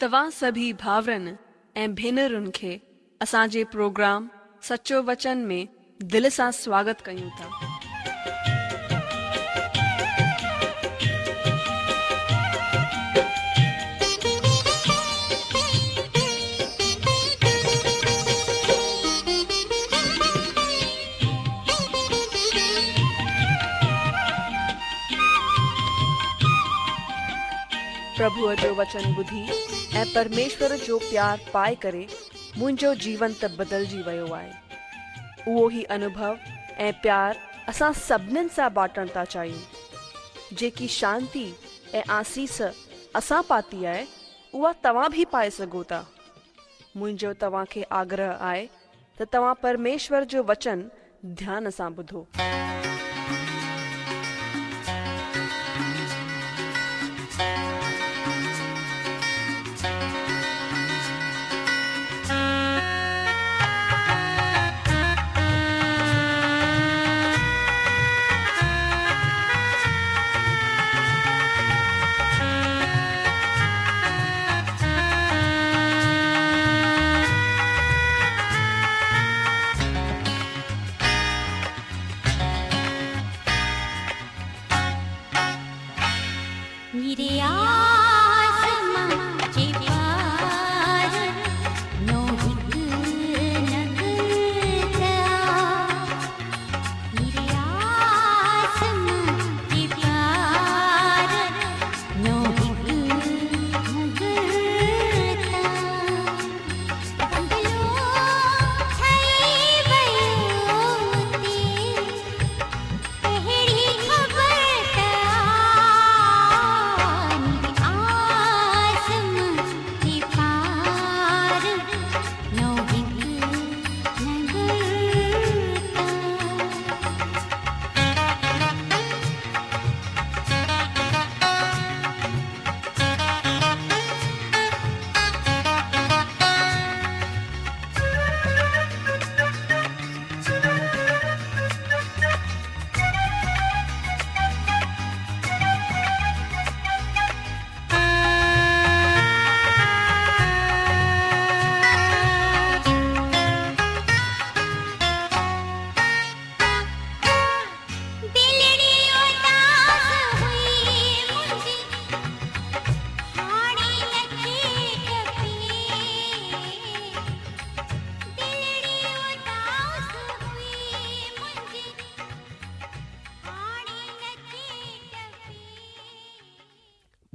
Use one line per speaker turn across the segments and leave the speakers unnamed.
توهان سڀئي ڀائرن ۽ ڀينرن کي اسان جي پروگرام سچو وچن ۾ دل سان سواگت ڪيون ٿا. پرڀوء جو وچن ٻڌي ۽ پرميشور جو پيار پائي ڪري منهنجو جيون ته بدلجي ويو آهي. اهو ئي انوڀو ۽ پيار اسان سڀنين سان بانٽڻ ٿا چاهيون. جيڪي شانتي ۽ آسيس اسان پاتي آهي، اها توهان به پائي سگهو ٿا. منهنجو توهان کي آگرهه آهي ته توهان پرميشور جو وچن ڌيان سان ٻڌو.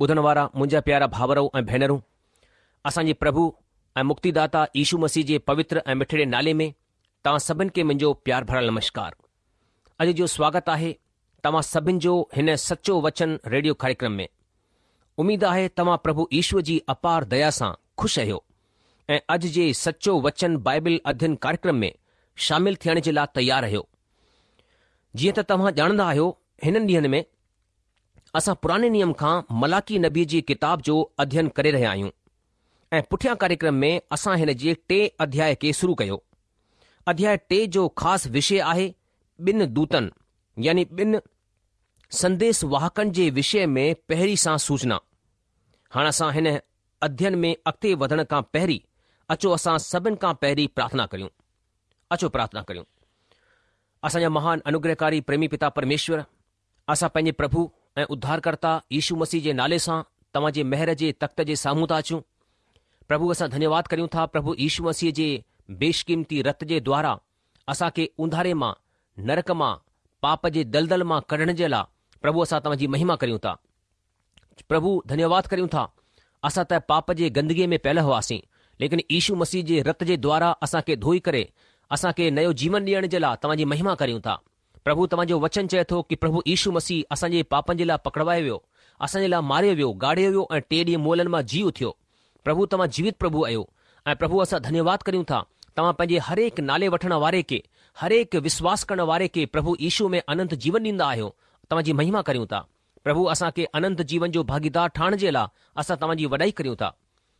ٻڌڻ وارا منهنجا پيارا ڀائرؤ ۽ ڀينرون، اسان جي پرڀو ۽ مڪتيداتا يشو مسيح جي پوتر ۽ مٺڙي نالي ۾ توهان سڀن کي منهنجو پيار ڀريل نمشڪار. اڄ جو سواگت آهي توهان سڀن جو هن سچو وچن ريڊيو ڪاريڪرم ۾. اميد آهي توهان پرڀو يشو جي اپار ديا سان خوش آهيو ۽ اڄ جي سچو وچن بائبل اڌين ڪاريڪرم ۾ شامل ٿيڻ جي لاء تيار آهيو. جيئن ته توهان ڄاڻندا آهيو هنن ڏينهن ۾ اسان پراڻي نيم کان ملاڪي نبي جي ڪتاب جو اڌين ڪري رهيا آهيون ۽ پٺيان ڪاريڪرم ۾ اسان هن جي ٽئين اڌياء کي شروع ڪيو. اڌياء ٽي جو خاص وشي آهي ٻن دوتن يعني ٻن سنديس واهڪن جي وشي ۾ پهرين سان سوچنا. هاڻ اسان هن اڌين ۾ اڳتي وڌڻ کان پهرين اچو اسان سڀن کان پهرين پرارٿنا ڪريون. اچو پرارٿنا ڪريون. اسان جا مهان انوگرهڪاري پريمي پتا پرميشور، اسان پنهنجي پرڀو ۽ اڌارڪرتا يشو مسيح جي نالي سان توهان جي مهر جي تخت جي سامهون ٿا اچون. پرڀو اسان ڌنيواد ڪريون ٿا پرڀو يشو مسيح جي بيشقيمتي رت جي دوارا اسان کي اونڌاري مان، نرڪ مان، پاپ جي دلدل مان ڪڍڻ جي لاء پرڀو اسان توهان جي مهما ڪريون ٿا. پرڀو ڌنيواد ڪريون ٿا اسان ته پاپ جي گندگيء ۾ پيل هئاسين ليڪن يشو مسيح جي رت جي دوارا اسان کي ڌوئي ڪري اسان کي نيو جيون ڏيڻ جي لاء توهان جي مهما ڪريون ٿا. پرڀو توهان جو وچن چئي ٿو ڪي پرڀو يشو مسيح اسان جي پاپن جي لاء پڪڙوايو ويو، اسان جي لاء ماريو ويو، گاڙيو ويو ۽ ٽئين ڏينهن مئلن مان جي اٿيو. پرڀو توهان جيوت پرڀو آهيو ۽ پرڀو اسان ڌنيواد ڪريون ٿا توهان پنهنجي هرهڪ نالي وٺڻ واري کي، هرهڪ وشواس ڪرڻ واري کي پرڀو يشو ۾ اننت جيون ڏيندا آهيو، توهان جي مهما ڪريون ٿا. پرڀو اسان کي اننت جيون جو ڀاڳيدار ٺاهڻ جي لاء اسان توهان جي وڏائي ڪريون ٿا.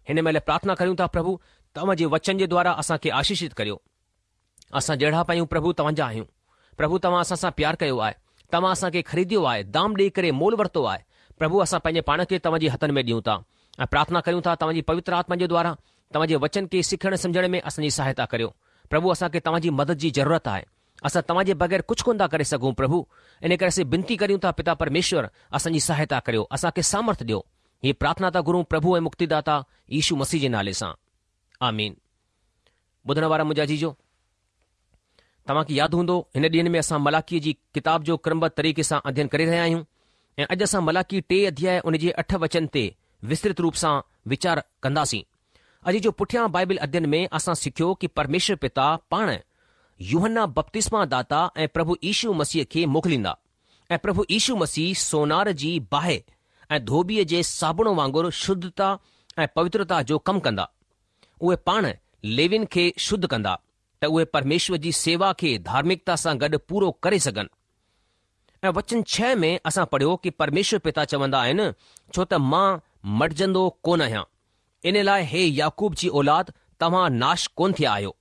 هن مهل پرارٿنا ڪريون ٿا پرڀو توهان جي وچن جي دوارا اسان کي آشيشت ڪريو. اسان جهڙا به آهيون پرڀو توهان جا آهيون. پرڀو توهان اسان سان پيار ڪيو آهي. توهان اسان کي خريديو آهي، دام ڏيئي ڪري مول ورتو آهي. پرڀو اسان پنهنجي پاڻ کي توهان جي هٿن ۾ ڏيون ٿا. ۽ پرارٿنا ڪريون ٿا توهان جي پوتر آتما جي دوارا توهان جي وچن کي سکڻ سمجهڻ ۾ اسان جي سهائتا ڪريو. پرڀو اسان کي توهان جي مدد جي ضرورت آهي. اسان توهان جي بغير ڪجهه ڪونه ٿا ڪري سگهون پرڀو. ان ڪري اسين بنتي ڪريون ٿا پتا پرميشور اسان جي سهائتا ڪريو اسان کي سامرٿ ڏيو. هيء پرارٿنا ٿا گهرون پرڀو ۽ مڪتيداتا يشو مسيح جي نالي سان. آمين. ٻڌڻ وارا منهنجا عزيزو! توهان کي ياد هوندو هن ڏينهن ۾ اسان ملاڪيء جي ڪتاب جو ڪرمبڌ طريقي سان اڌين ڪري رهيا آهيون ۽ اڄ اسان ملاڪي ٽي اڌياء ان جي اٺ وچن تي وسترت روپ سان ويچار ڪنداسين. اڄ جو پٺيان بائبل اڌين ۾ اسان سکيو ڪي پرميشور پتا پاڻ يوحنا بپتسما داتا ۽ پرڀو يشو مسيح کي موڪليندا ۽ پرڀو يشو مسيح سونار جي باهه ۽ ڌوٻيء جي صابڻ وانگر شڌتا ۽ پوترتا جو ڪم ڪندا. اهي پاڻ ليوين کي شڌ ڪندا ته اهي پرميشور جي سيوا کي ڌارمڪتا سان گڏ پورو ڪري سگهن. ۽ وچن ڇهه ۾ اسان پڙهيو ڪي پرميشور پتا چوندا آهن، ڇو ته مان مٽجندو ڪونه آهيان، ان لاء هي يعقوب جي اولاد توهان ناش ڪونه ٿيا آهيو،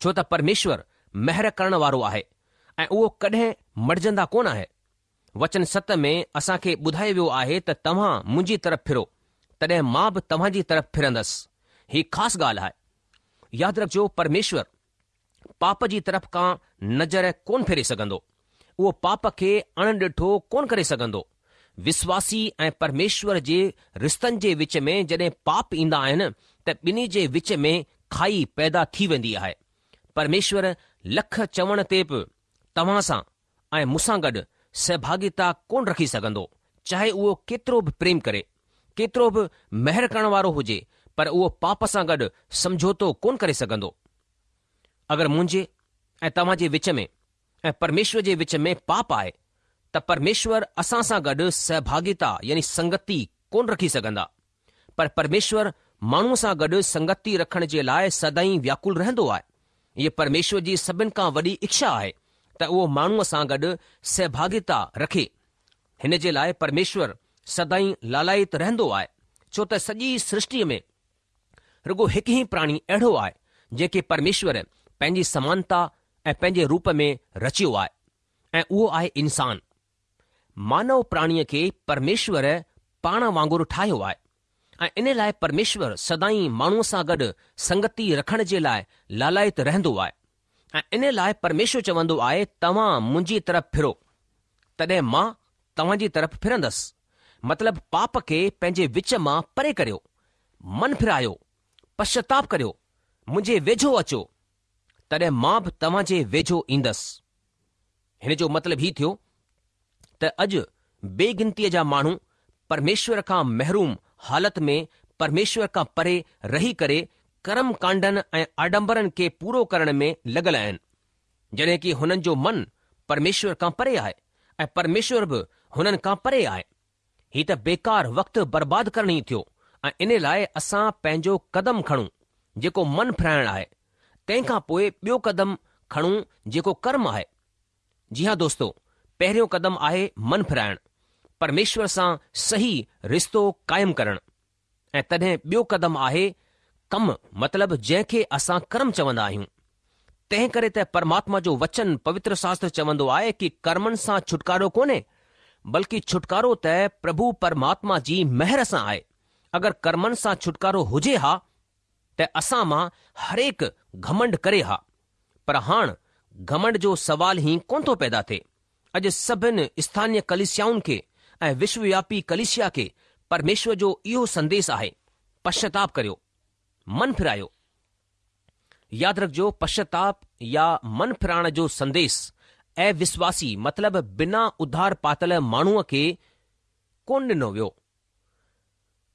ڇو ته پرميشور مهر ڪرڻ وارو آهي ۽ اهو ڪڏهن مٽجندا ڪونه آهي. وچن ست ۾ اسان کي ٻڌايو ويو آهي ته توهان منهنجي طرف ڦرو، تڏهن مان به توهان جي طرف ڦرندس. هي خاص ڳالهه آهي. ياد رکجو پرميشور پاپ جي طرف کان نظر ڪونه ڦيري سگهندو. اهو پاپ کي اڻ ڏٺو ڪونه ڪري سگهندو. وسواسي ۽ پرميشور جي رشتن جي وچ ۾ جڏهن پاپ ايندا آهن ته ٻنهي جي وچ ۾ کائي پيدا ٿي ويندي آهي. پرميشور لک چوڻ تي به توهان سان ۽ مون سان گڏ سهڀاڳيتا ڪونه رکي سگهندو، چاهي اهو ڪيترو به پريم ڪري، ڪيترو به مهر ڪرڻ وارو هجي، پر اهو پاپ سان گڏ سمجهوتو ڪونه ڪري سگهندو. اگر منهنجي ۽ توهان جي وچ ۾ ۽ پرميشور جي وچ ۾ پاپ آهي ته پرميشور اسان سان گڏ سهڀاڳيتا يعني سنگتي ڪونه رکي سگهندا. پر پرميشور ماڻهوء سان گڏ سنگتي رکڻ جي لاء سدائين وياڪل رهندو آهي. هيء پرميشور جي سڀن کان وڏي اڇا آهي ته اهو ماڻهوء سان گڏ سهڀاڳيتا رکي. هن جي لاء پرميشور سدائين لالايت رهندو آهي، ڇو ته سڄي سرشٽيء ۾ رڳو هڪ ئي پراڻي اهڙو آهي، جنهن کي پرميشور پنهنجي سمانتا ۽ پنهنجي روپ ۾ رچيو آهي ۽ اهو آهي انسان. مانو پراڻيء کي پرميشور پاڻ وانگر ٺاهيو آهي ۽ ان لاء پرميشور سدائين ماڻهوء سان گڏ سنگتي رکڻ جي لاء لالايت رهندو آهي ۽ ان لاء پرميشور چوندو آهي توهان منهنجي طرف ڦرو تڏهن مان توهان جي طرف ڦرندس مطلب پاپ کي پنهنجي وچ مان پري ڪريو من ڦرايو پشچاتاپ ڪريو منهنجي ويجهو اچو تڏهن مان به توهان جي ويجهو ايندس. هن جو مطلب هي ٿيو ته اڄ بي گنتيء جا ماڻهو پرميشور کان محروم حالت ۾ پرميشور کان پري رهي ڪري ڪرم ڪانڊن ۽ آڏمبرن کي پورو ڪرڻ ۾ لڳل آهن، جڏهن ڪي هنن جو من پرميشور کان پري آهي ۽ پرميشور به هنن کان پري آهي. هي ته بيڪار وقت برباد ڪرڻ ئي ٿيو ۽ ان لاء اسان پنهنجو قدم کڻون جيڪو من ڦرائڻ آهي، تنهن کان پوء ٻيو قدم کڻون جيڪو ڪرم آهي. جي ها دوستو، پهريون قدم آهي من ڦرائڻ، پرميشور سان صحيح رشتو قائم ڪرڻ ۽ تڏهن ٻيو قدم آهي ڪم مطلب جنهن کي اسان ڪرم چوندا آهيون. تنهن ڪري ته پرماتما جو وچن پوتر شاستر چوندو آهي ڪي ڪرمن سان ڇوٽڪارو ڪونهي بلڪه ڇوٽڪارو ته پرڀو پرماتما جي مهر سان آهي. اگر ڪرمن سان ڇوٽڪارو هجي ها ته اسان مان هرهڪ گهمنڊ ڪري ها. پر هاڻ گهمنڊ جو سوال ئي ڪونه ٿو پيدا ٿئي. اڄ سڀن اسٿانيه ڪليسيائن کي ۽ وشووياپي ڪليسيا کي پرميشور جو اهو سنديش آهي، پشچاتاپ ڪريو، من ڦرايو. ياد رکجو پشچاتاپ يا من ڦرائڻ جو سنديش اوسواسي مطلب بنا اڌار پاتل ماڻهوء کي ڪونه ڏنو ويو.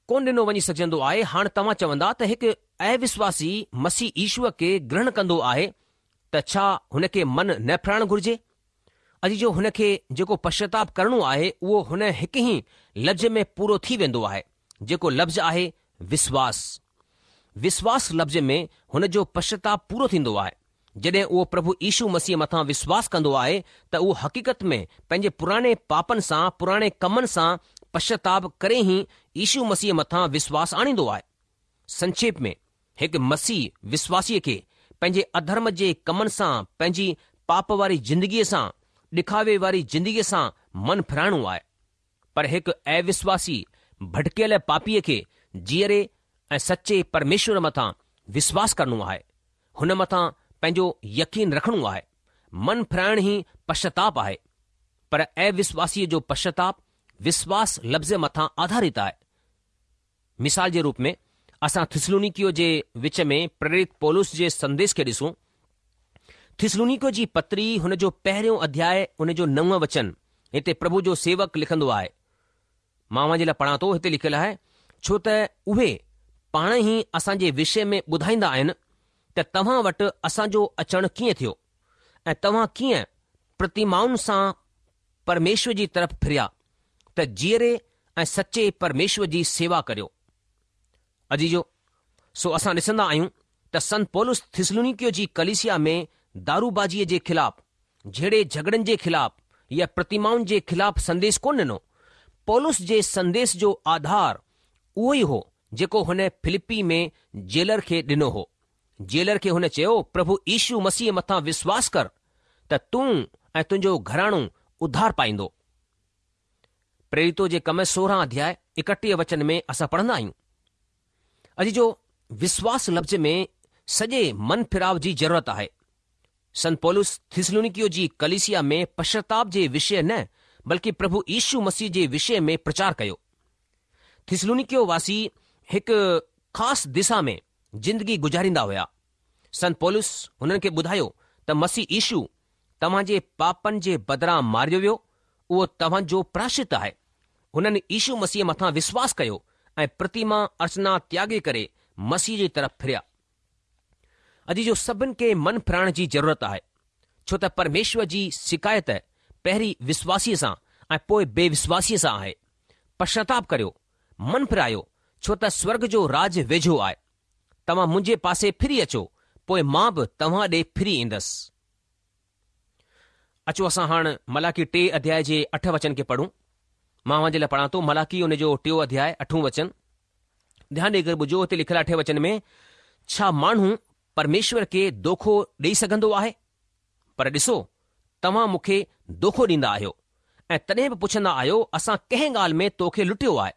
ڪونه ڏنو وڃي سگهجندو آهي، هاڻ توهان چوندا ته هڪ اوسواسي مسيح يشوء کي گرهڻ ڪندو آهي ته ڇا هن کي من نه ڦرائڻ گهرجي؟ عزيزو هن کي جيڪو پشچاتاپ ڪرڻو آهي اهو هن هڪ ئي لفظ ۾ پورو ٿي ويندو آهي جيڪو لفظ آهي وسواس. وسواس لفظ ۾ هن جو پشچاتاپ پورو ٿيندو آهي. جڏهن اهو پرڀو يشو مسيح مٿان وسواس ڪندو آهي ته اهو حقيقت ۾ پنهنجي پراڻي پاپن سان، پراڻي ڪمن سان پشچاتاپ ڪري ئي يشو مسيح مٿان وسواس آڻيندو آهي. سنڪشيپ ۾، هڪ مسيح وسواسيء کي پنهنجي اڌرم جي ڪمن سان، پنهنجي پاپ واري زندگيء سان، ڏکاوي واري زندگيء سان من ڦيرائڻو آهي. پر هڪ اوسواسي ڀٽڪيل پاپيء کي جيئري ۽ سچي پرميشور مٿان وشواس ڪرڻو آهي، هن مٿان پنهنجو يقين رکڻو آهي. من ڦرائڻ ئي پشچاتاپ آهي. پر اوشواسيء جو پشچاتاپ وشواس لفظ مٿان آڌارت آهي. مثال جي روپ ۾ اسان ٿسلونيڪيو جي وچ ۾ پريرت پولس جي سنديش کي ڏسون. ٿسلونيڪيو جي پتري هن جو پهريون اڌياء ان جو نون وچن هتي پرڀو جو سيوڪ لکندو آهي. مان اوهان جي لاء پڙهان ٿو هتي لکيل آهي ڇو ته اهي پاڻ ئي اسان جي وشي ۾ ٻڌائيندا آهن ته توهان وٽ اسان جو اچڻ ڪيئن ٿيو ۽ توهان ڪيئن پرتمائن سان پرميشور جي طرف ڦريا ته جيئري ۽ سچي پرميشور جي سيوا ڪريو. عزيزو! سو اسان ڏسندا آهيون ته سنت پولس ٿسلونيڪيو جي ڪليسيا ۾ داروبازيء جي خلاف، جهيڙي جهڳڙن جي خلاف يا پرتمائن جي خلاف سنديش ڪونه ڏنو. پولس جي سنديش جو آڌار اهو ئي هو جيڪو هن فلپي ۾ جيلر کي ڏنو هو. جيلر کي هن چيو، پرڀو يشو مسيح مٿان وشواس ڪر ته تون ۽ تنهنجو گهراڻو اڌار پائيندو. پريريتو جي ڪم 16 اڌياء 31 وچن ۾ اسان پڙهندا آهيون. عزيزو وشواس لفظ ۾ سڄي من ڦراء جي ضرورت آهي. سنت پولس ٿسلونيڪيو جي ڪليسيا ۾ پشچاتاپ جي وشيه نه بلڪه پرڀو يشو مسيح جي وشيه ۾ پرچار ڪيو. ٿسلونيڪيو واسي هڪ خاص دشا ۾ زندگي گذاريندا هيا. سنت پولس هنن کي ٻڌايو ته مسيح يشو توهان جي پاپن جي بدران ماريو ويو، اهو توهان جو پراشچت آهي. هنن يشو مسيح مٿان وشواس ڪيو ۽ پرتيما ارچنا تياڳي ڪري مسيح جي طرف ڦريا. عزيزو سڀن کي من ڦرائڻ جي ضرورت آهي، ڇو ته پرميشور جي شڪايت پهرين وشواسيء سان ۽ پوء بي وشواسيء سان آهي. پشچاتاپ ڪريو، من ڦرايو، ڇو ته سورڳ جو راڄ ويجهو آهي. توهان منهنجي پاسي ڦري اچو، پوء مان به توهان ڏي ڦري ايندس. اچو اسان هاڻ ملاڪي ٽي اڌياء جي اٺ وچن کي پڙهون. مان اوهان جي لاء پڙهان ٿو ملاڪي ان جو ٽيون اڌياء اٺون وچن. ڌيان ڏيئي ڪري ٻڌجو هتي لکيل آهي اٺين وچن ۾ ڇا ماڻهو پرميشور کي دوکو ڏيئي سگهندو آهي؟ پر ڏسو توهان مون کي دوکو ڏيندا آهيو ۽ تڏهن به پڇندا آهيو اسان ڪنهن ڳالهه ۾ تو کي لٽيو آهي؟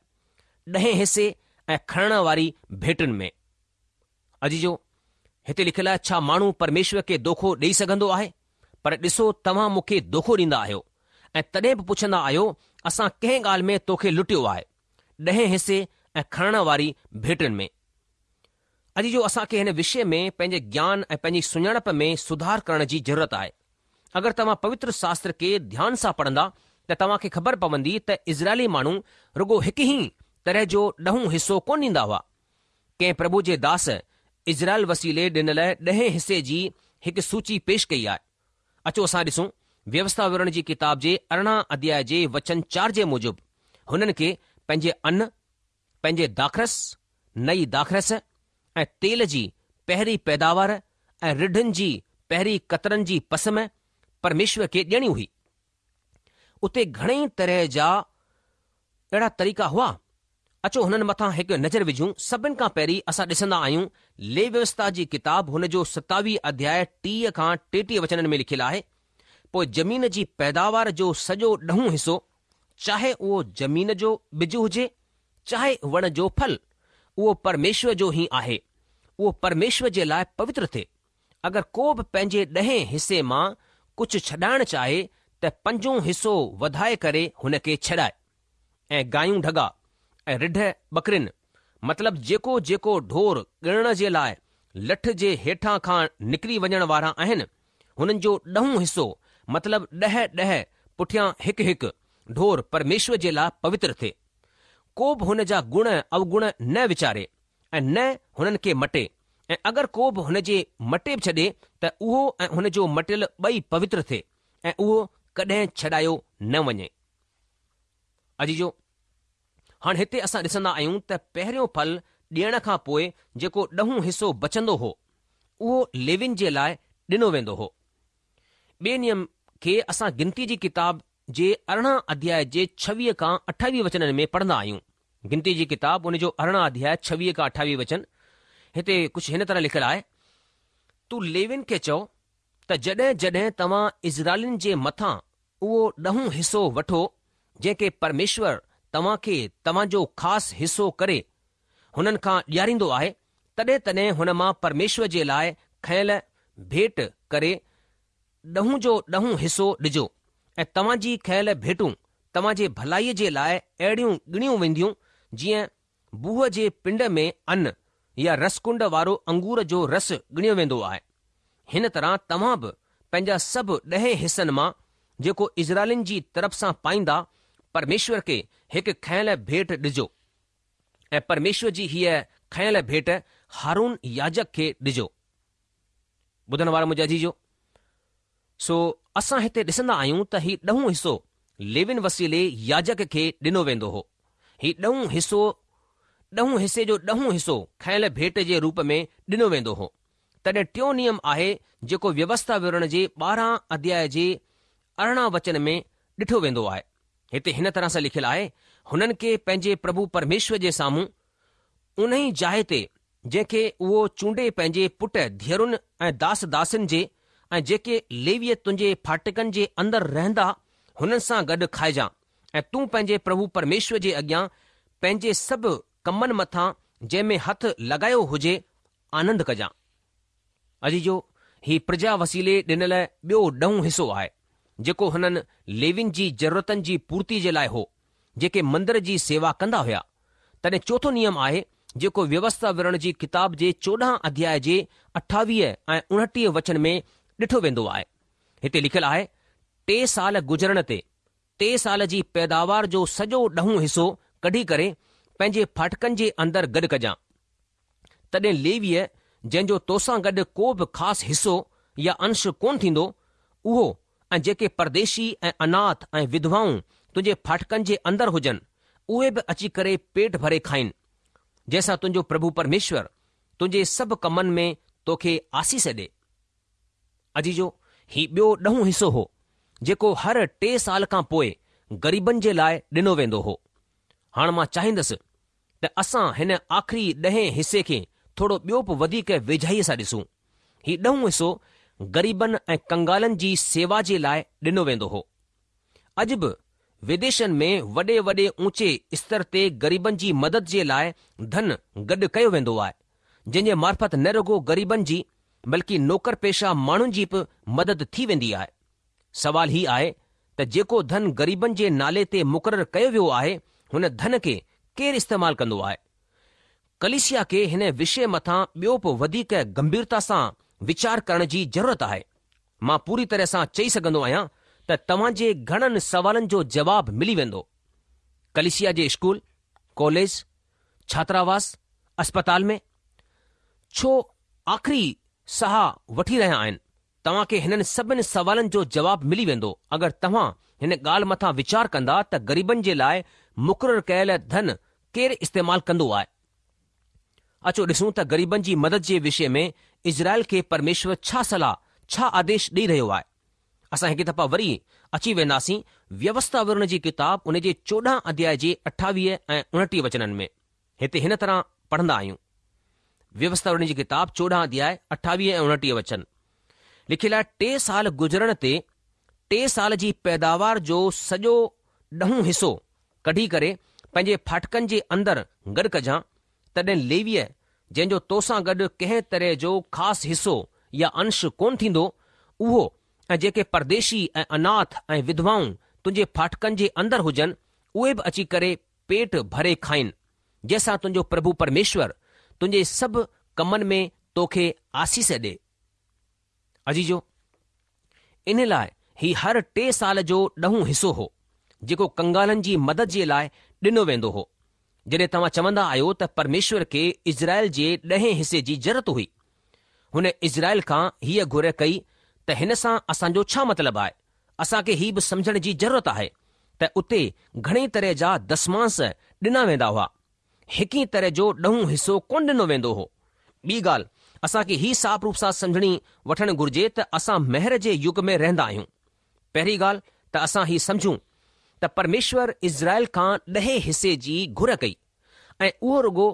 ڏهين حصي ۽ کڻڻ واري ڀيٽن ۾. عزيزو! هتي لکيل آهي ڇا ماڻهو پرميشور کي دوکو ڏيئي سگهندو آهي؟ پر ڏسو توهان مون کي دوکو ڏيندا آهيو ۽ تڏهن به پڇندا آهيو اسان ڪنهن ڳالهه ۾ تو کي لٽيو آهي؟ ڏهين حصي ۽ کڻڻ واري ڀيٽن ۾. عزيزو! اسان کي هن وشي ۾ پنهنجي گيان ۽ پنهنجي سڃاڻپ ۾ سڌار ڪرڻ جي ضرورت آهي. اگر توهان پوتر شاستر کي ڌيان سان پڙهندا ته توهان کي خبر پوندي ته اسرائيلي ماڻهو رڳو هڪ ئي طرح جو ڏهون حصو ڪونه ڏيندا هئا. ڪنهن پرڀو جي داس اسرائيل وسيلي ڏنل ڏهين حصي جي هڪ سوچي پيش ڪئي آهي. اچو اسان ڏسون ويوسٿا وورڻ جي ڪتاب جي 18 اڌياء جي وچن چار جي موجب هنن کي پنهنجي ان، پنهنجي داخرس، نئي داخرس ۽ تيل جي پهرين پيداوار ۽ رڍن جي پهرين ڪترن جي پسم پرميشور کي ڏيڻي هئي. اتي گهڻئي طرح جا اهڙا طريقا هئا. اچو هنن مٿان هڪ نظر وجهون. سڀن کان پهرين اسان ڏسندا آهيون ليويوسٿا جي ڪتاب هن جو 27 اڌياء 30 کان 33 وچنن ۾ لکيل آهي، پوء زمين جي پيداوار جو سڄو ڏهون حصو، چاهي اهو زمين جو ٻج هجي، چاهي وڻ جو ڦل، اهو پرميشور جو ئي آهي، اهو پرميشور جي لاء پوتر ٿئي. اگر ڪو به پنهنجي ڏهين حصي مان ڪجهه ڇڏائڻ چاهي ته پنجون حصو وڌائي ڪري هن کي ڇڏائي. ۽ گايون ڍڳا ۽ رڍ ٻڪرين، مطلب جيڪو جيڪو ڍور ڳڻڻ جي لاء لٺ جي هيٺان کان نڪري وڃڻ وارا آهن، هنن جو ڏهون حصو، مطلب ڏهه ڏهه پٺيان هڪ هڪ ڍور پرميشور جي لاء پوتر ٿئي. ڪو به هن جا گڻ اوگڻ نه ويچاري ۽ نه هنن کي مٽي ۽ اگر ڪو به هن جي مٽي به ڇڏي ته اهو ۽ هن جو مٽيل ٻئي پوتر ٿئي ۽ اهو ڪڏهن ڇڏايو نه وڃي. عزيزو! هاڻ هتي اسان ڏسندا آهيون ته پهريون ڦل ڏيڻ کان پوء جيڪو ڏهون حصو بچندو هو، اهو ليوين جي لاء ڏنو ويندو هو. ٻئي نيم کي اسان گنتي جي ڪتاب جي 18 اڌياء جي 26 کان 28 وچنن ۾ پڙهندا آهيون. گنتي جي ڪتاب ان جو 18 اڌياء 26 کان 28 وچن هتي ڪجهه هن طرح لکيل آهي، تون ليوين کي چئو ته جڏهن جڏهن توهان اسرائيلين جي مٿان اهو ڏهون حصو وٺو جنهن کي پرميشور توهان کي توهان جو خاص حصو ڪري هنن کان ڏياريندو آهي، تڏهن تڏهن هن مان پرميشور جي لاء کنيل ڀيٽ ڪري ڏهون جو ڏهون حصو ڏجو ۽ توهان جي کنيل ڀيٽون توهان جي ڀلائيء جي لاء اهڙيون ڳڻيون وينديون جيئن بوهه جي پنڊ ۾ ان يا رسڪنڊ وارو انگور جو رس ڳڻيو ويندو آهي. هن طرح توهان به پنهنجا سڀ ڏهين حصن مان جيڪو اسرائيلين جي طرف سان پائيندا، پرميشور کي هڪ کنيل ڀيٽ ڏجو ۽ پرميشور جي هيء کنيل ڀيٽ هارون ياجڪ کي ڏجو. ٻڌڻ وارا منهنجا عزيزو! سو اسان هتي ڏسندا آهيون ته هي ڏهون حصو ليوين وسيلي ياجڪ کي ڏنو ويندو هو. هي ڏهون حصو ڏهون حصي جو ڏهون حصو کنيل ڀيٽ جي روپ ۾ ڏنو ويندو هو. تڏهن ٽيون نيم آهي جيڪو ويوسٿا وورڻ جي 12 اڌياء جي 18 وچن ۾ ڏٺو ويندو آهي. هتي هن طرح سان لکيل آهي، هنن کي پنهنجي پرڀو پرميشور جي سامهون انهي جاء تي جنهن کي اهو چونڊي پنهنجي پٽ ڌيئرن ۽ داس داسين جي ۽ جيڪي ليوي تنهنجي ڦاٽڪن جي اندر رهندا هنن سان گڏ کائجان ۽ تون پنهنجي پرڀو پرميشور جي اڳيان پنهنجي سڀ ڪمن مٿان جنهن ۾ هٿ لڳايو هجي آنند ڪجان. عزيزو! هي پرجا وسيلي ڏنل ٻيو ڏهون حصو آهي، جيڪو هنن ليوين جي ضرورتن جي پورتي جي لاء هو، جيڪي مندر جي سيوا ڪندا هيا. تڏهن چوٿون نيم آهي، جيڪو ويوسٿا وورڻ جي ڪتاب جي 14 اڌياء جي 28 ۽ 29 وچن ۾ ڏٺو ويندو آهي. هتي لکيل آهي، ٽي سال گذرڻ تي، ٽي سال جي پيداوار جو سڄو ڏهون حصو ڪڍي ڪري پنهنجي ڦاٽڪن جي اندر گڏ ڪجان. تڏهن ليويء جنهن جو توسان گڏ ڪو به خاص حصو يا انش ڪونه ٿيندو، اهو ۽ جيڪي پرديشي ۽ اناٿ ۽ وڌوائون تنهنجي ڦاٽڪن جي اندر هجن، اهي به اچي ڪري پيٽ ڀري کائين، جنهن سان تنهنجو پرڀو پرميشور تنهنجي سڀ ڪمن ۾ توکي آسيس ڏي. عزيزو! هي ٻيو ڏهون حصو هو، جيڪو هر ٽي سال کان پوء غريبن جي لاء ڏنو ويندو هو. هاڻ مان چاهيندس ته اسان هن آخري ڏهين حصي کي ٿورو ٻيو به وڌيڪ ويجهائيء سان ڏسون. هي ڏهون حصو غريبن ۽ ڪنگالن جي سيوا جي لاء ڏنو ويندو هو. اڄ به وديشن ۾ وڏي وڏي اوچي استر تي غريبن جي مدد جي لاء ڌن گڏ ڪيو ويندو آهي، جنهن جي معرفت نه رڳو غريبن جي بلڪه نوڪر پيشه ماڻهن جي به مدد ٿي ويندي آهي. سوال هي آهي ته جيڪو ڌن غريبن جي نالي تي مقرر ڪيو ويو آهي هن ڌن کي ڪير استعمال ڪندو آهي؟ ڪليسيا کي هن وشي مٿان ٻيو به وڌيڪ گنڀيرتا سان ويچار ڪرڻ جي ضرورت آهي. مان پوري طرح سان چئي سگهندو آهيان ته توهان جي گهڻن سوالن جو جواب ملي ويندو. ڪليسيا جي اسڪول، ڪاليج، ڇاتراواس، اسپتال ۾ ڇو آخري ساهه وٺي رهيا آهن؟ توهان کي هنن سڀن سوالن جو جواب ملي ويندو اگر توهان هن ڳالهه مٿان ويچار ڪندا ته غريبن جي لاء مقرر ڪيل ڌن ڪير استعمال ڪندو آهي. اچو ڏسون ته غريبن جي مدد جي وشي ۾ اسرائيل کي پرميشور ڇا صلاح، ڇا آديش ڏئي رهيو آهي. اسان هڪ دفعا وري اچي وينداسين ويوسٿا وورڻ جي ڪتاب ان جي 14 اڌياء جي 28 ۽ 29 وچنن ۾. هتي هن طرح پڙهندا آهيون. ويوسٿا وورڻ جي ڪتاب 14 اڌياء 28 ۽ 29 وچن لکيل آهي ٽي سال گذرڻ تي ٽي سال جي پيداوار جو سڄو ڏهون حصو ڪڍي ڪري پنهنجي ڦاٽڪن جي اندر گڏ ڪجان تڏهن ليويء جنهن جو توسان گڏ ڪنهن طرح جو خاص حصو يا انش ڪونه ٿيندو اهو ۽ جيڪي پرديشي ۽ اناٿ ۽ وڌوائون تنهنجي ڦاٽڪن جي اندر هجن اهي به اچي ڪري پيٽ ڀري کائين، جنهن سان تنهنجو پرڀو پرميشور تنهنجي سڀ ڪمن ۾ توکي آسيس ڏي. عزيزو! ان لاء هي هر ٽي سال جو ڏهون حصو هو، جيڪو ڪنگالن جي مدد جي لاء ڏنو ويندو هو. جڏهن توهان چوندا آهيو ته پرميشور کي اسرائيل جي ڏهين حصي جي ضرورت هئي. هن اسرائيل کان هيء گهر ڪئي ته هن سان اسان جو ڇا مطلب آهي؟ اسان کي هي به سمجهڻ جي ضرورت آهي ته اتي گهڻي طرح جا دسمانس ڏنا ويندا هئا. هڪ ئي طرح جو ڏهون حصو ڪونه ڏنو ويندو هو. ٻي ڳالهه اسان کي هي صاف روپ سان سمجهڻي وٺڻ گهرجي ته اسان مهر جي يگ ۾ رهندا آهيون. پهرين ڳالهه ته اسان هي سمجهون ته پرميشور اسرائيل کان ڏهين حصي جي گهر ڪئي ۽ اهو رڳو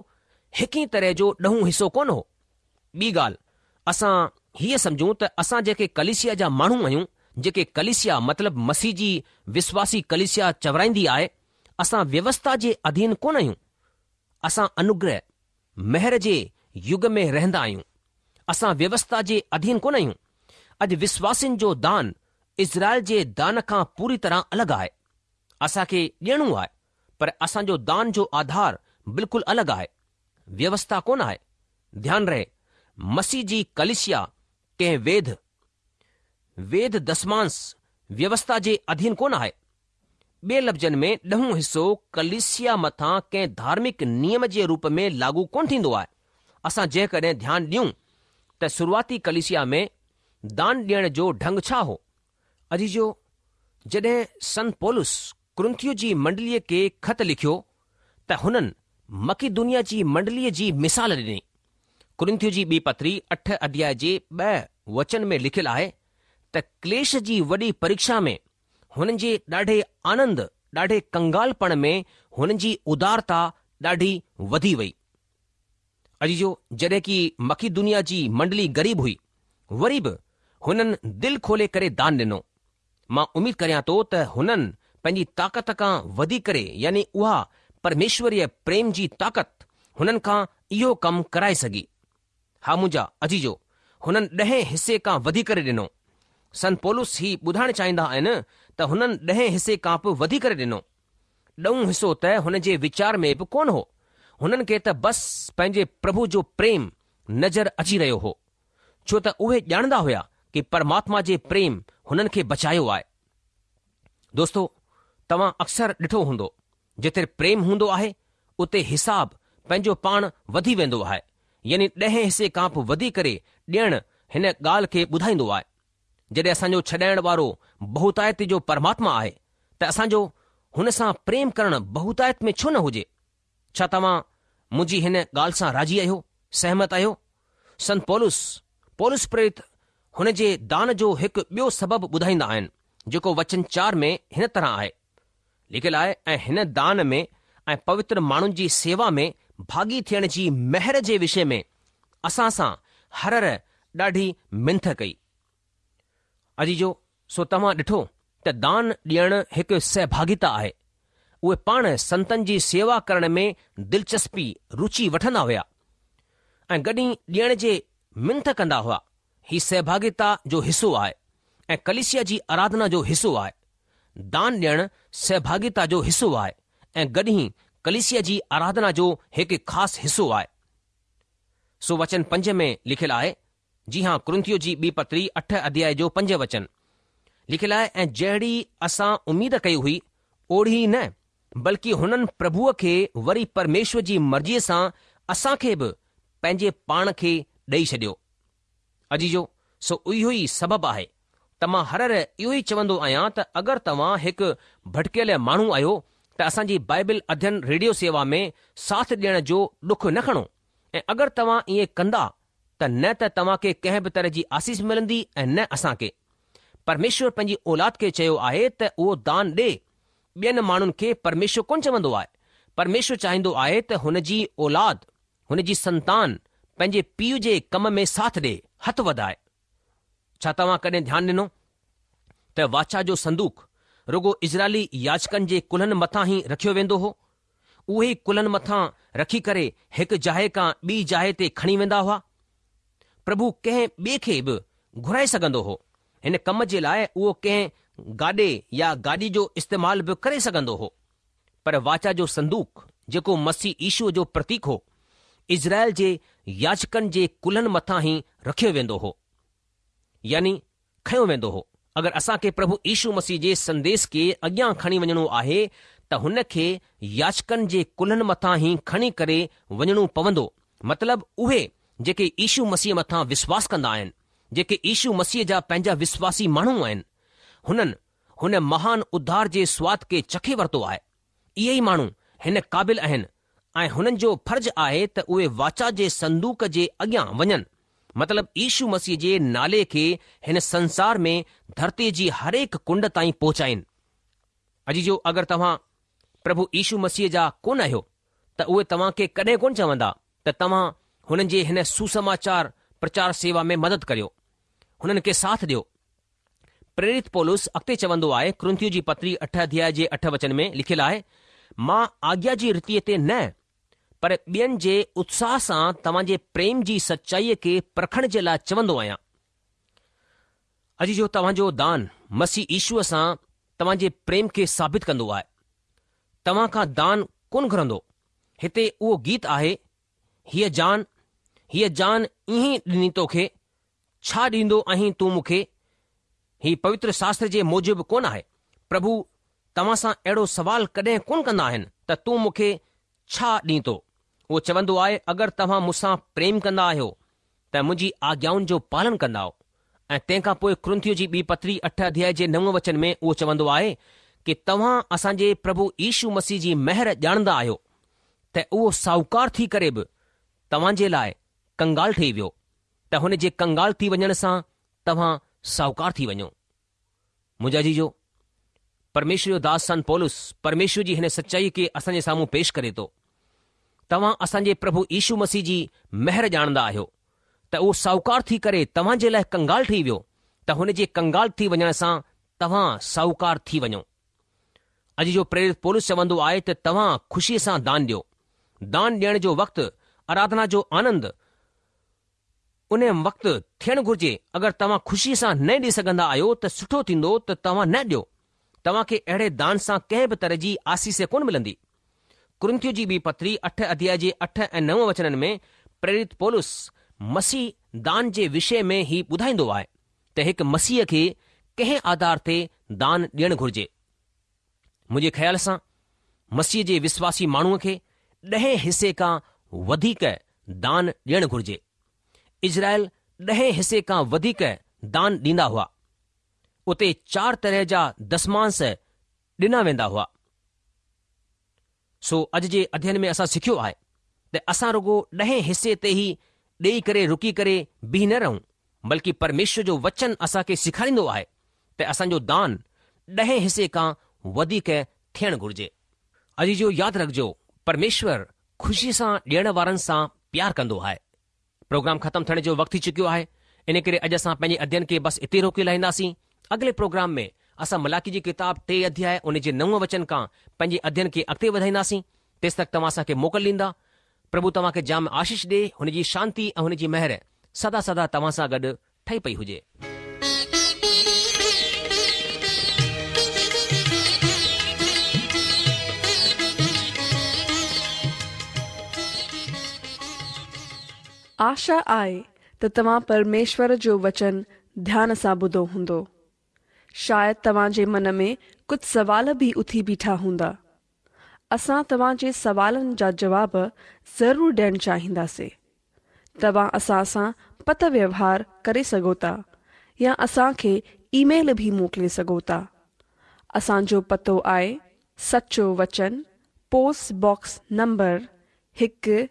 هڪ ئي طرح جو ڏهون حصو ڪونه هو. ٻي ڳالهه، اسان هيء سمجهون ته اسان جيڪي ڪليسيا جا ماڻهو آهيون، جيڪي ڪليسيا مطلب مسيح جي وسواسي ڪليسيا چورائيندي آهي، اسان ويوسٿا جي اڌين ڪونه آهيون. اسان انوگره. مهر جي يگ ۾ رهندا آهيون. اسان ويوسٿا جي اڌين ڪونه آهيون. اڄ وسواسين جو دان اسرائيل جي دان کان پوري طرح الڳ آهي. اسان کي ڏيڻو آهي، پر اسان جو دان جو آڌار بلڪل الڳ آهي. ويوسٿا ڪونه آهي. ڌيان رهي، مسيح جي ڪليسيا ڪنهن ويڌ، ويڌ دسمانس ويوسٿا جي اڌين ڪونه آهي. ٻئي لفظن ۾ ڏهون حصو ڪليسيا مٿان ڪنهن ڌارمڪ نيم جي روپ ۾ لاڳو ڪونه ٿيندو آهي. اسان جيڪڏهن ڌيان ڏيون ته شروعاتي ڪليسيا ۾ دان ڏيڻ جو ڍنگ ڇا هو؟ عزيزو، جڏهن سنت پولس ڪرنٿيو جي منڊليء کي خط لکيو ته هنن مڪيدونيا جي منڊليء جي مثال ڏني. ڪرنٿيو جي ٻي پتري اٺ اڌياء جي ٻه وچن ۾ لکيل آهي ته ڪليش جي وڏي پريڪشا ۾ هنن جي ڏاڍي آنند، ڏاڍي ڪنگالپڻ ۾ هنن جي ادارتا ڏاڍي وڌي وئي. عزيزو، جڏهن ڪي مڪيدونيا جي منڊلي غريب هئي، وري به هنن دل کولي ڪري دان ڏنو. مان اميد ڪريان ٿو ته هنن پنهنجي طاقت کان وڌي ڪري يعني اها پرميشوريه پريم جي طاقت هنن کان اهو ڪم ڪرائي سگهي. ها منهنجا عزيزو، هنن ڏهين حصي کان وڌي ڪري ڏنو. سنت پولس هي ٻڌائڻ چاهيندا آهن ته هنن ڏهين حصي کان به وڌي ڪري ڏنو. ڏهون حصو ته هن جي ويچار ۾ به ڪونه هو. هنن کي ته بس پنهنجي پرڀو جو پريم نظر اچي رهيو هو. ڇو ته اهي ڄاڻندا هيا ڪي پرماتما جي پريم هنن کي بچايو آهي. دوستو توهان اڪثر ڏٺو هوندو جتي پريم هوندو آهي اتي حساب پنهنجو پاڻ وڌي ويندو آهي يعني ڏهين حصي کان به وڌي ڪري ڏيڻ هن ڳالهه کي ٻڌائيندو آهي. جڏهن اسان جو ڇڏائڻ وارو بهتايت جو پرماتما آهي ته اسان جو هن سان پريم ڪرڻ بهتايت ۾ ڇو نه هجي؟ ڇا توهان منهنجي هن ڳالهه سان راضي آهيو، سهمت آهيو؟ سنت پولس، پولس پريرت هن جي دان جو هڪ ٻيو سبب ٻڌائيندا آهن، جيڪو وچن چار ۾ هن طرح آهي. لکيل آهي، ۽ هن دان ۾ ۽ پوتر ماڻهن جي سيوا ۾ ڀاڳي ٿيڻ جي مهر جي وشي ۾ اسان سان هر هر ڏاڍي منٿ ڪئي. عزيزو! سو توهان ڏٺو ته دان ڏيڻ هڪ سهڀاڳيتا آهي. اهي پاڻ سنتن جي سيوا ڪرڻ ۾ دلچسپي، روچي، وٺندا هيا ۽ گڏ ئي ڏيڻ جي منٿ ڪندا هئا. هي سهڀاڳيتا جو حصو آهي ۽ ڪليسيا جي آراڌنا جو حصو آهي. دان ڏيڻ سهڀاڳيتا جو حصو آهي ۽ گڏ ئي ڪليسيا جي آراڌنا جو هڪ خاص حصو آهي. سو وچن پنج ۾ لکيل آهي جي هان ڪرنٿيو جي ٻي پتري اٺ اڌيائي جو پنج وچن لکيل آهي ۽ جهڙي اسان اميد ڪئي هئي اوڙي ئي نه بلڪه هنن پرڀوء کي وري پرميشور جي مرضيء سان اسان کي به پنهنجي پاڻ کي ڏئي ڇڏيو. عزيزو سو اهو ئي سبب آهي ته مان هر هر اهو ئي چوندو آهيان ته اگر توهان هڪ ڀٽڪيل ماڻهو آهيو ته اسان جي بائبل اڌين ريڊيو سيوا ۾ ساٿ ڏيڻ جو ڏک نه کڻو ۽ اگر توهان ائين ڪندا ته نه ته توهان کي ڪنهن به طرح جي آسيس ملندي ۽ نه اسان کي. پرميشور پنهنجي اولاد کي چيو آهي ته اهو دان ڏي. ٻين ماڻهن کي پرميشور ڪونه چوندو آهي. پرميشور چاهيندو آهي ته هن جي اولاد، هن جي سنتان پنهنجي پيء جي ڪم ۾ ساٿ ڏي، هٿ وڌائي. ڇا توهان ڪڏهن ڌيان ڏنو ته واچا جو صندوق رڳو اسرائيلي ياجڪن جي ڪلهن مٿان ئي رکيو ويندو هو؟ اهي ئي ڪلهن مٿان رکي ڪري هڪ جاء کان ٻي جاء تي کڻي ويندا هئا. پرڀو ڪنهن ٻئي کي به گهرائي سگهندو هو. هن ڪم جي لاء اهو ڪنهن گاڏي يا گاڏي جو استعمال به ڪري سگهندو هو. پر واچا جو صندوق، جيڪو مسيح يشوء جو پرتيڪ هو، اسرائيل جي ياجڪن جي ڪلهن مٿان ئي رکيو ويندو هو. يعني کنيو ويندو هو. اگر اسان کي پرڀو يشو مسيح جي سنديس کي اڳيان کڻي وڃڻو آهي ته هن کي ياجڪن جي ڪلهن مٿان ئي کڻي ڪري وڃڻو پوندو، مطلب اهي جيڪي يشو مسيح مٿان وشواس ڪندا آهن، جيڪي يشو مسيح جا پنهنجا وشواسي ماڻهو آهن، هنن هن مهان اڌار جي سواد کي چکي ورتو آهي. اهي ئي ماڻهو هن قابل آهن ۽ هنن جو فرض آهي ته اهي واچا جي صندوق جي اڳيان وڃن، مطلب يشو مسيح جي نالي کي هن سنسار ۾ ڌرتيء جي هرهڪ ڪنڊ تائين پهچائين. عزيزو، اگر توهان پرڀو يشو مسيح جا ڪونه آهيو ته اهي توهان کي ڪڏهن ڪونه چوندا ته توهان هنن جي هن سوسماچار پرچار سيوا ۾ مدد ڪريو، هنن کي ساٿ ڏيو. پريرت پولس اڳتي چوندو آهي، ڪرنٿيو جي پتري اٺ اڌياء جي اٺ وچن ۾ لکيل آهي، مان آگيا جي ريتيء تي نه، پر ٻين جي اتساهه سان توهان جي پريم جي سچائيء کي پرکڻ جي لاء چوندو آهيان. عزيزو توهان جو دان مسيح يشوء سان توهان جي پريم کي ثابت ڪندو آهي. توهان کان دان ڪونه گهرندو. هتي اهو گيت آهي، هيء جان، هيء جان ائين ئي ڏني توکي، ڇا ڏيندو آهين تون مون کي؟ هي پوتر شاستر جي موجب ڪونه آهي. پرڀو توهان سان اهڙو سوال ڪڏهن ڪونه ڪندا آهن ته تون مون کي ڇا ڏيندو؟ اهو چوندو آهي اگر توهان مون سان پريم ڪندا آهيو ته منهنجي آگيائن جو پالن ڪندائو. ۽ تنهن کان پوء ڪرنٿيو جي ٻي پتري اٺ اڌيائي جي نو وچن ۾ اهو چوندو آهي ڪي توهان اسان جي پرڀو يشو مسيح جي مهر ڄاڻندا آهيو ته اهو ساهوڪار ٿي ڪري به توهان جي لاء ڪنگال ٺهي ويو ته هن جي ڪنگال ٿي وڃڻ سان توهان ساهوڪار ٿي وڃو. منهنجا عزيزو، پرميشور جو داس سنت پولس پرميشور جي هن سچائيء کي اسان جي سامهون پيش ڪري ٿو. توهان اسان جي پرڀو يشو مسيح جي مهر ڄاڻندا آهيو ته اهو ساهوڪار ٿي ڪري توهان جي لاء ڪنگال ٺهي ويو ته هن جي ڪنگال ٿي وڃڻ سان توهان ساهوڪار ٿي وڃو. عزيزو پريرت پولس چوندو آهي ته توهان خوشيء سان دان ڏيو. دان ڏيڻ جو وقت آراڌنا جو آنند ان وقت ٿيڻ گهرجي، اگر توهان خوشيء سان نه ڏئي سگهندا آهيو ته سٺو ٿيندو ته توهان نه ڏيو. توهان کي اهڙي دان سان ڪنهن به طرح جي آسيس ڪونه ملندي. ڪرنٿيو جي ٻي پتري اٺ اڌيائي جي اٺ ۽ نو وچنن ۾ پريرت پولس مسيح دان جي وشي ۾ هي ٻڌائيندو آهي ته هڪ مسيحيء کي ڪنهن آڌار تي دان ڏيڻ گهرجي. منهنجي خيال سان مسيح جي وشواسي ماڻهوء کي ڏهين حصي کان وڌيڪ دان ڏيڻ گهرجي. اسرائيل ڏهين حصي کان وڌيڪ دان ڏيندا هئا. اتي چار طرح جا دسمانس ڏنا ويندا هئا. سو اڄ جي اڌيين ۾ اسان سکيو آهي ته اسان رڳو ڏهين حصي تي ئي ڏيئي ڪري رڪي ڪري بيهي نه رهون بلڪه پرميشور جو وچن اسان کي سيکاريندو آهي ته اسان جو دان ڏهين حصي کان وڌيڪ ٿيڻ گهرجي. عزيزو ياد رکجو پرميشور خوشي سان ڏيڻ وارن سان پيار ڪندو آهي. پروگرام ختم ٿيڻ جو وقت ٿي چڪيو آهي ان ڪري اڄ اسان پنهنجي اڌيين کي بس اتي روڪي لاهينداسين. اڳلي پروگرام ۾ اسان ملاڪي جي ڪتاب ٽي اڌياء ان جي نو وچن کان پنهنجي اڌيين کي اڳتي وڌائينداسين. تيستڪ توهان اسان کي موڪل ڏيندا. پرڀو توهان کي جام آشيش ڏي، هن جي شانتي ۽ هن جي مهر سدا سدا توهان سان گڏ ٺهي پئي هجي.
آشا آهي ته توهان پرميشور جو وچن ڌيان سان ٻڌو هوندو. شايد توهان جي من ۾ ڪجهه سوال به اٿي بيٺا هوندا. اسان توهان جي سوالن جا جواب ضرور ڏيڻ چاهينداسين. توهان اسان سان پتر ويوهار ڪري سگهو ٿا يا اسان کي اي ميل به موڪلي سگهو ٿا. اسان جو پتو آهي سچو وچن پوسٽ باڪس نمبر هڪ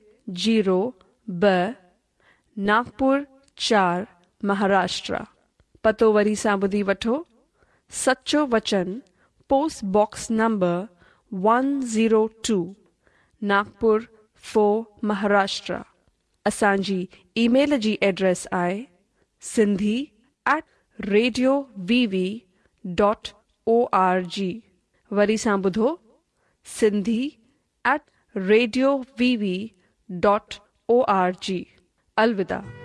زيرو ٻه ناگپور چار مهاراشٽرا. پتو وري سان ٻڌي وٺو سچو وچن post box number one zero two Nagpur four Maharashtra. اسان جي اي ميل جي ايڊريس آهي Sindhi at radio V V dot O R G وري سان ٻڌو Sindhi at radio V V dot O R G. الوداع.